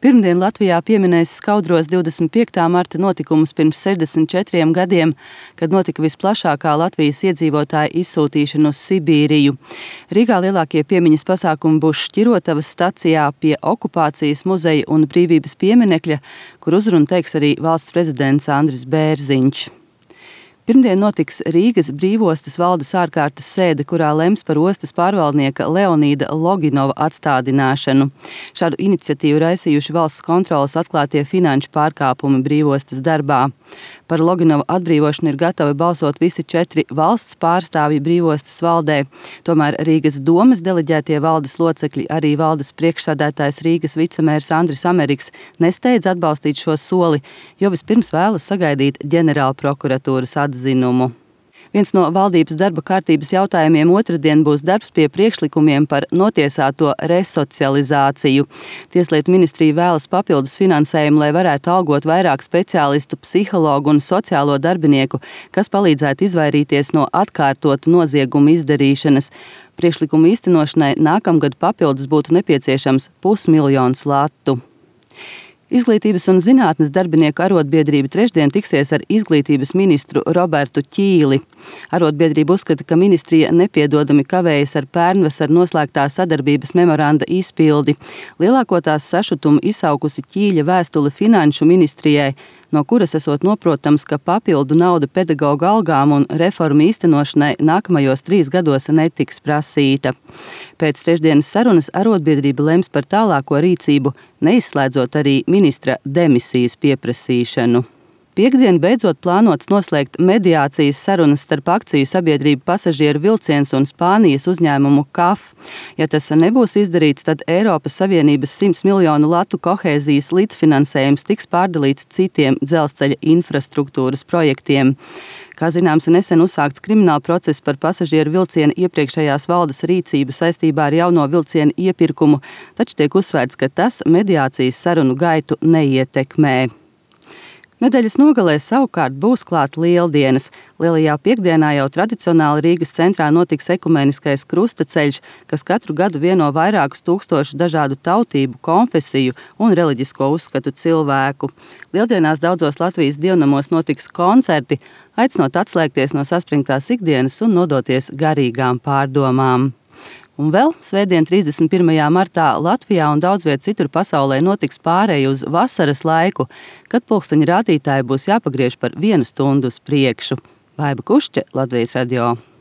Pirmdien Latvijā pieminēs Skaudros 25. marta notikumus pirms 64 gadiem, kad notika visplašākā Latvijas iedzīvotāja izsūtīšana uz Sibīriju. Rīgā lielākie piemiņas pasākumi būs Šķirotavas stacijā pie Okupācijas muzeja un Brīvības pieminekļa, kur uzrunu teiks arī valsts prezidents Andris Bērziņš. Pirmdien notiks Rīgas Brīvostas valdes ārkārtas sēde, kurā lems par ostas pārvaldnieka Leonīda Loginova atstādināšanu. Šādu iniciatīvu raisījuši valsts kontroles atklātie finanšu pārkāpumi Brīvostas darbā. Par Loginova atbrīvošanu ir gatavi balsot visi 4 valsts pārstāvji Brīvostas valdē. Tomēr Rīgas domas deleģētie valdes locekļi, arī valdes priekšsēdētājs Rīgas vicemērs Andris Ameriks, nesteidz atbalstīt šo soli, jo vispirms vēlas sagaidīt ģenerālprokuratūras atzinumu. Viens no valdības darba kārtības jautājumiem otrdien būs darbs pie priekšlikumiem par notiesāto resocializāciju. Tieslietu ministrija vēlas papildus finansējumu, lai varētu algot vairāk speciālistu, psihologu un sociālo darbinieku, kas palīdzētu izvairīties no atkārtotu noziegumu izdarīšanas. Priekšlikumu īstenošanai nākamgad papildus būtu nepieciešams 500 000 latu. Izglītības un zinātnes darbinieku arotbiedrība trešdien tiksies ar izglītības ministru Robertu Ķīli. Arotbiedrība uzskata, ka ministrija nepiedodami kavējas ar pērnvasaru noslēgtā sadarbības memoranda izpildi. Lielāko tās sašutumu izsaukusi Ķīļa vēstule finanšu ministrijai, no kuras esot noprotams, ka papildu nauda pedagoģu algām un reformu īstenošanai nākamajos 3 gados netiks prasīta. Pēc trešdienas sarunas arotbiedrība lems par tālāko rīcību, neizslēdzot arī ministra demisijas pieprasīšanu. Piektdien beidzot plānots noslēgt mediācijas sarunas starp akciju sabiedrību Pasažieru vilciens un Spānijas uzņēmumu KAF. Ja tas nebūs izdarīts, tad Eiropas Savienības 100 miljonu latu kohēzijas līdzfinansējums tiks pārdalīts citiem dzelzceļa infrastruktūras projektiem. Kā zināms, nesen uzsākts krimināla process par pasažieru vilcienu iepriekšējās valdes rīcību saistībā ar jauno vilcienu iepirkumu, taču tiek uzsvērts, ka tas mediācijas sarunu gaitu neietekmē. Nedēļas nogalē savukārt būs klāt Lieldienas. Lielajā piekdienā jau tradicionāli Rīgas centrā notiks ekumeniskais krustaceļš, kas katru gadu vieno vairākus tūkstošu dažādu tautību, konfesiju un reliģisko uzskatu cilvēku. Lieldienās daudzos Latvijas dievnamos notiks koncerti, aicinot atslēgties no saspringtās ikdienas un nodoties garīgām pārdomām. Un vēl svētdien 31. martā Latvijā un daudz viet citur pasaulē notiks pāreja uz vasaras laiku, kad pulksteņa rādītāji būs jāpagriež par 1 stundu uz priekšu. Baiba Kušķe, Latvijas radio.